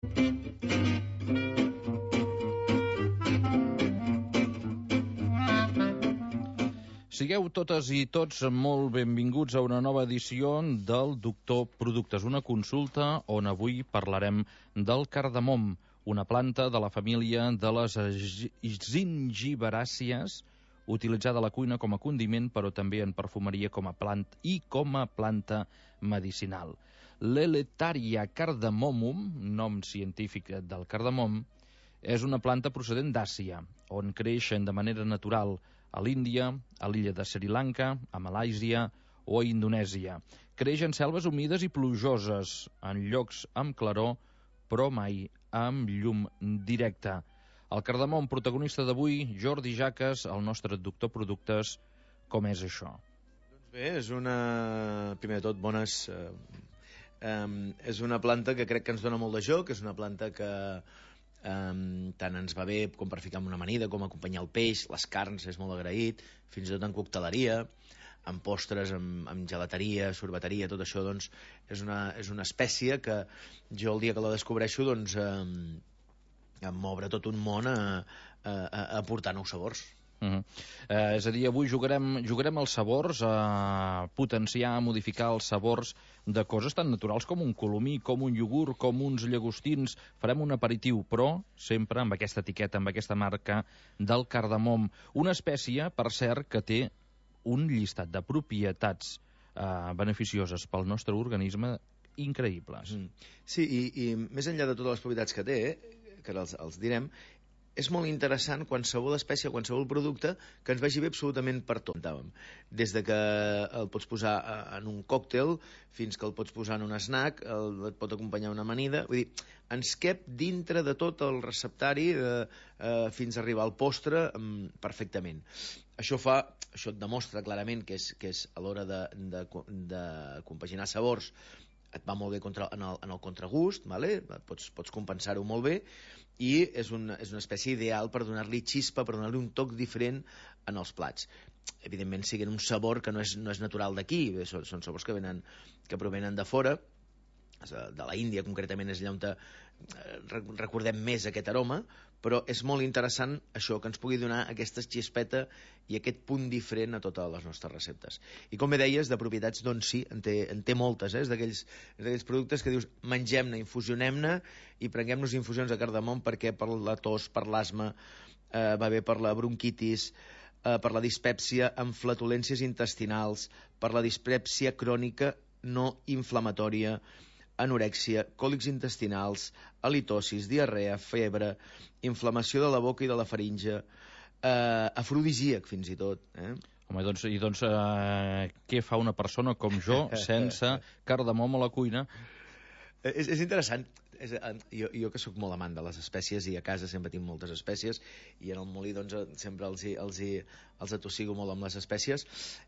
Sigueu totes i tots molt benvinguts a una nova edició del Doctor Productes, una consulta on avui parlarem del cardamom, una planta de la família de les gingiberàcies, utilitzada a la cuina com a condiment, però també en perfumeria com a planta medicinal. L'Eleutheria cardamomum, nom científic del cardamom, és una planta procedent d'Àsia, on creixen de manera natural a l'Índia, a l'illa de Sri Lanka, a Malàisia o a Indonèsia. Creix en selves humides i plujoses, en llocs amb claror, però mai amb llum directa. El cardamom, protagonista d'avui, Jordi Jaques, el nostre doctor Productes. Com és això? Doncs bé, és una... Primer de tot, bones... és una planta que crec que ens dona molt de joc, és una planta que tant ens va bé com per ficar en una amanida, com acompanyar el peix, les carns, és molt agraït, fins i tot en cocteleria, en postres, en gelateria, sorbeteria, tot això, doncs, és una espècie que jo el dia que la descobreixo, doncs, em m'obre tot un món a aportar nous sabors. És a dir, avui jugarem els sabors, a potenciar, a modificar els sabors de coses tan naturals com un colomí, com un iogurt, com uns llagostins. Farem un aperitiu, però sempre amb aquesta etiqueta, amb aquesta marca del cardamom. Una espècie, per cert, que té un llistat de propietats beneficioses pel nostre organisme increïbles. Sí, i més enllà de totes les propietats que té, que els direm, és molt interessant qualsevol espècie, qualsevol producte que ens vagi bé absolutament per tot. Des de que el pots posar en un còctel fins que el pots posar en un snack, et pot acompanyar una amanida. Vull dir, ens cap dintre de tot el receptari fins a arribar al postre perfectament. Això et demostra clarament que és a l'hora de compaginar sabors, et va molt bé en el contragust, vale? Pots compensar-ho molt bé, i és una espècie ideal per donar-li xispa, per donar-li un toc diferent en els plats. Evidentment, siguin un sabor que no és natural d'aquí, són sabors que provenen de fora, de la Índia concretament és allà on recordem més aquest aroma, però és molt interessant això, que ens pugui donar aquesta xispeta i aquest punt diferent a totes les nostres receptes. I com bé deies, de propietats, doncs sí, en té moltes, és d'aquells productes que dius, mengem-ne, infusionem-ne i prenguem-nos infusions de cardamom perquè per la tos, per l'asma, va bé per la bronquitis, per la dispèpsia amb flatulències intestinals, per la dispèpsia crònica no inflamatòria, anorèxia, còlics intestinals, halitosis, diarrea, febre, inflamació de la boca i de la faringe, afrodisíac fins i tot. Home, doncs què fa una persona com jo sense cardamom a la cuina? És interessant. Jo que sóc molt amant de les espècies i a casa sempre tinc moltes espècies i en el molí doncs sempre els atossigo molt amb les espècies.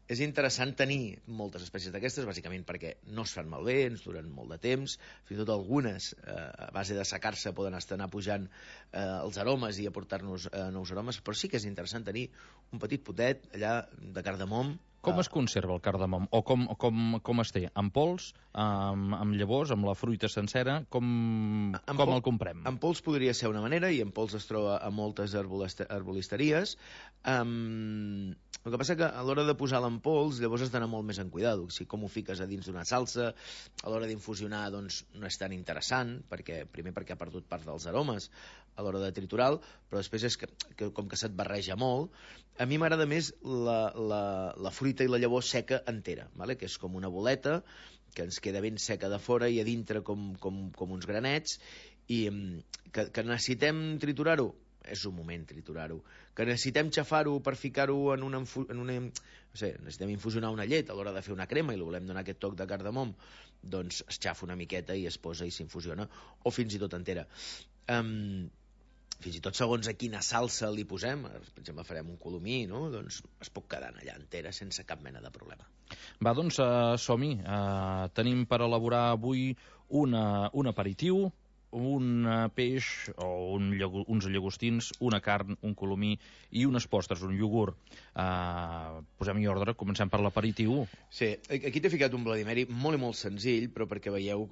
És interessant tenir moltes espècies d'aquestes, bàsicament perquè no es fan malbé, ens duren molt de temps, fins i tot algunes a base de secar-se poden anar pujant els aromes i aportar-nos nous aromes, però sí que és interessant tenir un petit potet allà de cardamom. Com es conserva el cardamom? O com es té? En pols, amb llavors, amb la fruita sencera? Com el comprem? En pols podria ser una manera, i en pols es troba a moltes herbolisteries. El que passa que a l'hora de posar-la en pols, llavors has d'anar molt més en cuidado. Si com ho fiques a dins d'una salsa, a l'hora d'infusionar doncs no és tan interessant, primer perquè ha perdut part dels aromes a l'hora de triturar, però després és que com que se't barreja molt. A mi m'agrada més la fruita i la llavor seca entera, vale? Que és com una boleta que ens queda ben seca de fora i a dintre com uns granets, i que necessitem triturar-ho, és un moment triturar-ho, que necessitem xafar-ho per ficar-ho en una no sé, necessitem infusionar una llet a l'hora de fer una crema i li volem donar aquest toc de cardamom, doncs es xafa una miqueta i es posa i s'infusiona, o fins i tot entera. Fins i tot segons a quina salsa li posem, per exemple farem un colomí, no? Doncs es pot quedar allà entera sense cap mena de problema. Va, doncs som-hi. Tenim per elaborar avui un aperitiu un peix o uns llagostins, una carn, un colomí i unes postres, un iogurt. Posem-hi ordre, comencem per l'aperitiu. Sí, aquí t'he ficat un Bloody Mary molt i molt senzill, però perquè veieu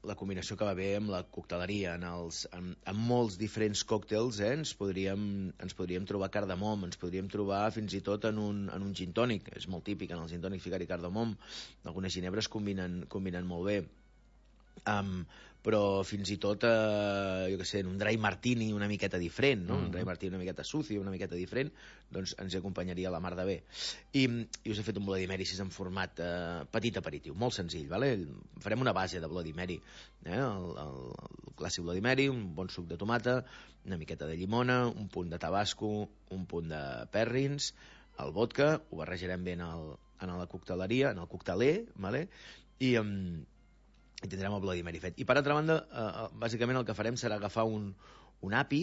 la combinació que va bé amb la cocteleria. En molts diferents còctels ens podríem trobar cardamom, ens podríem trobar fins i tot en un gin tònic. És molt típic en el gin tònic ficar-hi cardamom. Algunes ginebres combinen molt bé. Però fins i tot, jo què sé, en un dry martini una miqueta diferent, no? Un dry martini una miqueta sucio, una miqueta diferent, doncs ens acompanyaria la mar de bé. I us he fet un Bloody Mary així en format petit aperitiu, molt senzill, vale? Farem una base de Bloody Mary, el clàssic Bloody Mary, un bon suc de tomata, una miqueta de llimona, un punt de tabasco, un punt de perrins, el vodka, ho barrejarem bé en la cocteleria, en el cocteler, vale? I tindrem el Bloody Mary fet. I per altra banda, bàsicament el que farem serà agafar un api,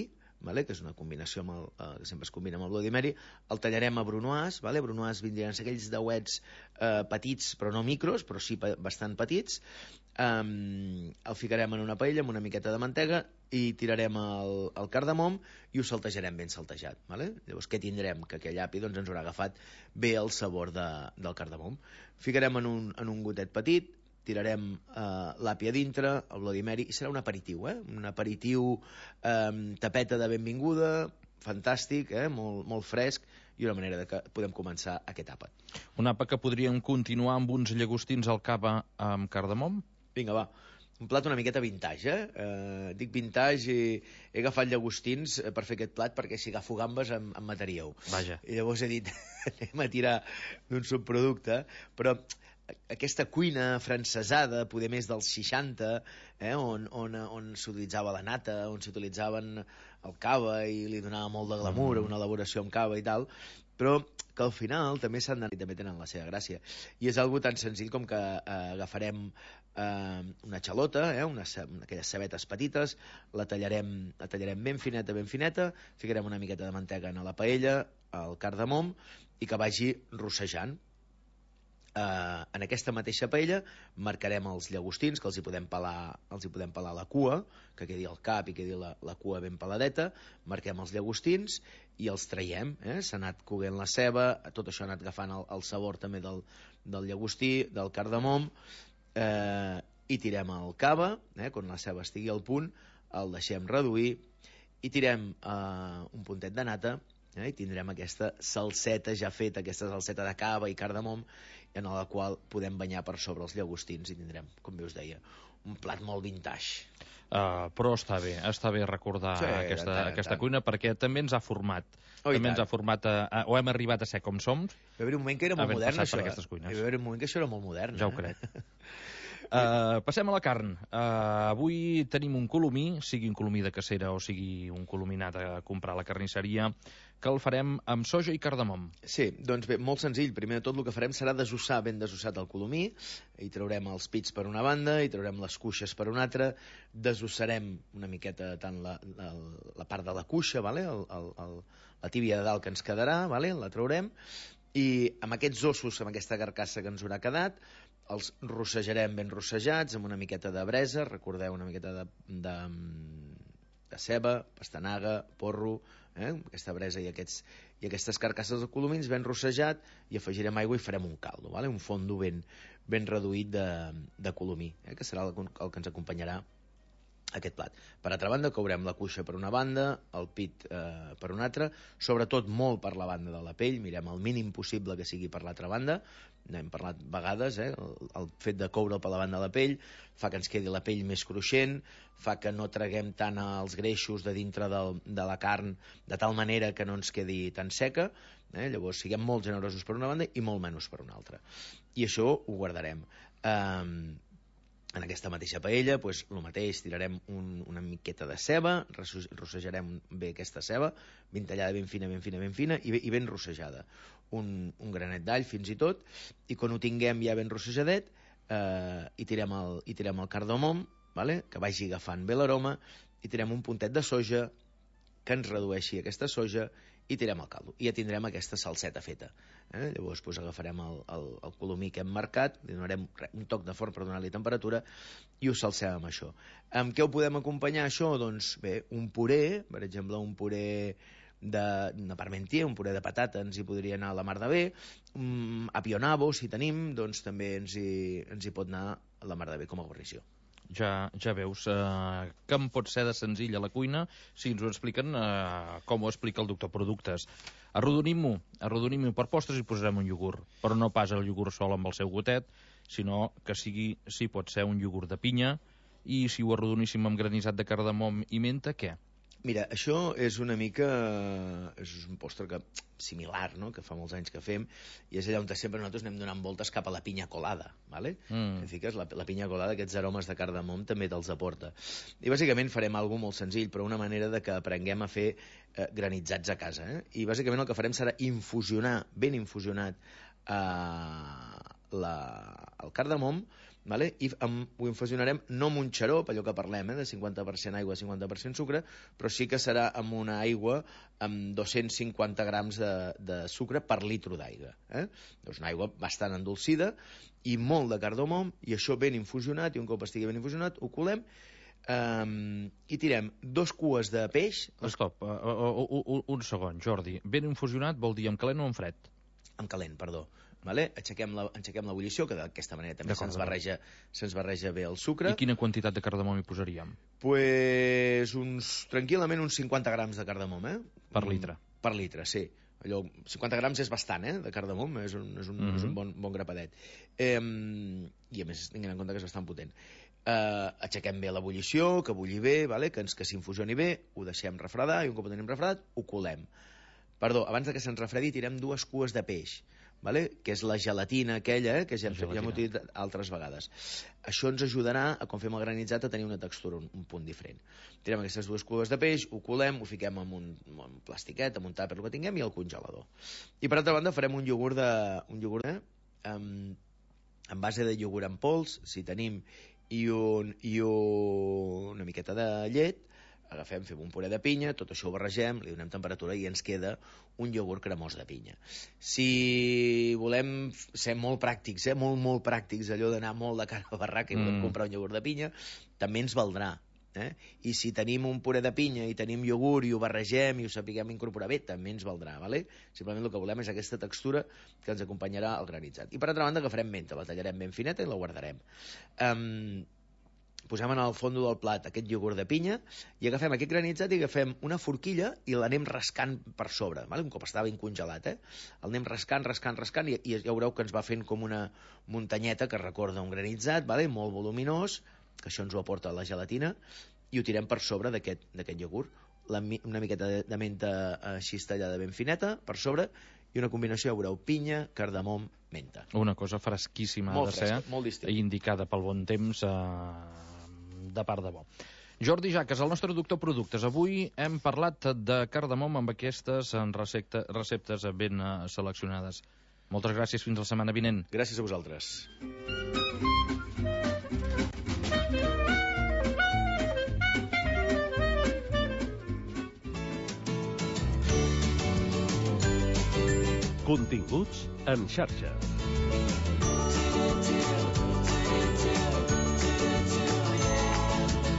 vale? Que és una combinació que sempre es combina amb el Bloody Mary, el tallarem a brunoise, vale? Brunoise vindrien aquells dauets petits, però no micros, però sí bastant petits. El ficarem en una paella amb una miqueta de mantega i tirarem el cardamom i ho saltejarem ben saltejat, vale? Llavors què tindrem? Que aquell api doncs, ens haurà agafat bé el sabor del cardamom. Ficarem en un gotet petit, tirarem l'api a dintre, el Bloody Mary, i serà un aperitiu, un aperitiu tapeta de benvinguda, fantàstic, molt, molt fresc, i una manera que podem començar aquest àpat. Un àpat que podríem continuar amb uns llagostins al cava amb cardamom? Vinga, va. Un plat una miqueta vintage, dic vintage i he agafat llagostins per fer aquest plat perquè si agafo gambes em mataríeu. Vaja. I llavors he dit, anem a tirar d'un subproducte, però aquesta cuina francesada, poder més dels 60, on s'utilitzava la nata, on s'utilitzaven el cava i li donava molt de glamour, una elaboració amb cava i tal, però que al final també també tenen la seva gràcia. I és algo tan senzill com que agafarem una xalota, aquelles cebetes petites, la tallarem ben fineta, ficarem una miqueta de mantega en la paella, el cardamom, i que vagi rossejant. En aquesta mateixa paella marcarem els llagostins, que els hi podem pelar la cua, que quedi el cap i quedi la cua ben peladeta, marquem els llagostins i els traiem, s'ha anat coguent la ceba, tot això ha anat agafant el sabor també del llagostí, del cardamom, i tirem el cava, quan la ceba estigui al punt, el deixem reduir i tirem un puntet de nata, i tindrem aquesta salseta ja feta, aquesta salseta de cava i cardamom, en la qual podem banyar per sobre els llagostins i tindrem, com bé us deia, un plat molt vintage. Però està bé recordar aquesta cuina perquè també ens ha format. Ens ha format, o hem arribat a ser com som. Va haver un moment que era molt modern, això. Va haver un moment que això era molt modern. Ja ho crec. Passem a la carn. Avui tenim un colomí, sigui un colomí de cacera o sigui un colomí anat a comprar a la carnisseria, que el farem amb soja i cardamom. Sí, doncs bé, molt senzill. Primer de tot el que farem serà desossar ben desossat el colomí, i traurem els pits per una banda i traurem les cuixes per una altra, desossarem una miqueta tant la part de la cuixa, vale? La tíbia de dalt que ens quedarà, vale? La traurem, i amb aquests ossos, amb aquesta carcassa que ens haurà quedat, els rossejarem ben rossejats amb una miqueta de bresa, recordeu, una miqueta de ceba, pastanaga, porro, aquesta bresa i aquestes carcasses de colomins ben rossejat, i afegirem aigua i farem un caldo, vale? Un fondo ben reduït de colomí, que serà el que ens acompanyarà aquest plat. Per altra banda, courem la cuixa per una banda, el pit per una altra, sobretot molt per la banda de la pell, mirem el mínim possible que sigui per l'altra banda, n'hem parlat vegades, el fet de coure'l per la banda de la pell fa que ens quedi la pell més cruixent, fa que no traguem tant els greixos de dintre de la carn, de tal manera que no ens quedi tan seca, llavors siguem molt generosos per una banda i molt menys per una altra. I això ho guardarem. En aquesta mateixa paella, doncs, el mateix, tirarem una miqueta de ceba, rossejarem bé aquesta ceba, ben tallada, ben fina i ben rossejada. Un granet d'all fins i tot, i quan ho tinguem ja ben rossejadet, hi tirem el cardamom, vale? Que vagi agafant bé l'aroma, i tirem un puntet de soja que ens redueixi aquesta soja i tirem el caldo. I ja tindrem aquesta salseta feta. Llavors agafarem el colomí que hem marcat, li donarem un toc de forn per donar-li temperatura i ho salsem amb això. Amb què ho podem acompanyar, això? Doncs bé, un puré, per exemple, un puré de parmentier, un puré de patata ens hi podria anar a la mar de bé, apionabo, si tenim, doncs també ens hi pot anar a la mar de bé com a guarnició. Ja veus que em pot ser de senzill a la cuina si ens ho expliquen com ho explica el doctor Productes. Arrodonim-ho per postres i posarem un iogurt, però no pas el iogurt sol amb el seu gotet, sinó que sí pot ser un iogurt de pinya, i si ho arrodoníssim amb granissat de cardamom i menta, què? Mira, això és una mica... és un postre similar, no?, que fa molts anys que fem, i és allà on sempre nosaltres anem donant voltes cap a la pinya colada, ¿vale? Que fiques la pinya colada, aquests aromes de cardamom també te'ls aporta. I bàsicament farem alguna cosa molt senzill, però una manera de que aprenguem a fer granitzats a casa. I bàsicament el que farem serà infusionar, ben infusionat, el cardamom, vale? I ho infusionarem no amb un xarop, allò que parlem, de 50% aigua, 50% sucre, però sí que serà amb una aigua amb 250 grams de sucre per litro d'aigua. Doncs una aigua bastant endolcida i molt de cardamom, i això ben infusionat, i un cop estigui ben infusionat ho colem i tirem 2 cues de peix. Stop, un segon, Jordi. Ben infusionat vol dir amb calent o amb fred? Amb calent, perdó. Vale? Aixequem l'ebullició, que d'aquesta manera també se'ns barreja bé el sucre. I quina quantitat de cardamom hi posaríem? Pues tranquil·lament uns 50 grams de cardamom. Per litre? Per litre, sí. Allò, 50 grams és bastant, de cardamom, és un bon grapadet. I a més, tinguem en compte que és bastant potent. Aixequem bé l'ebullició, que bulli bé, vale? Que s'infusioni bé, ho deixem refredar, i un cop ho tenim refredat, ho colem. Perdó, abans que se'ns refredi tirem 2 cues de peix, vale? Que és la gelatina aquella, que ja hem utilitzat altres vegades. Això ens ajudarà, quan fem el granitzat, a tenir una textura un punt diferent. Tirem aquestes 2 cues de peix, ho colem, ho fiquem en un plastiquet, en un tàper, el que tinguem, i al congelador. I per altra banda farem un iogurt en base de iogurt en pols, si tenim, i una miqueta de llet. Fem un puré de pinya, tot això ho barregem, li donem temperatura i ens queda un iogurt cremós de pinya. Si volem ser molt pràctics, molt pràctics, allò d'anar molt de cara a barraca i volem comprar un iogurt de pinya, també ens valdrà. I si tenim un puré de pinya i tenim iogurt i ho barregem i ho sapiguem incorporar bé, també ens valdrà, vale? Simplement el que volem és aquesta textura que ens acompanyarà al granitzat. I per altra banda agafarem menta, la tallarem ben fineta i la guardarem. Posem en el fons del plat aquest iogurt de pinya i agafem aquest granitzat i agafem una forquilla i l'anem rascant per sobre, vale? Un cop estava ben congelat, l'anem rascant i ja veureu que ens va fent com una muntanyeta que recorda un granitzat, vale? Molt voluminós, que això ens ho aporta la gelatina, i ho tirem per sobre d'aquest iogurt, una miqueta de menta així tallada ben fineta per sobre, i una combinació, ja veureu, pinya, cardamom, menta. Una cosa fresquíssima molt de ser, molt distinta, i indicada pel bon temps, de part de bo. Jordi Jaques, el nostre doctor Productes. Avui hem parlat de cardamom amb aquestes receptes ben seleccionades. Moltes gràcies, fins la setmana vinent. Gràcies a vosaltres. Continguts en xarxa.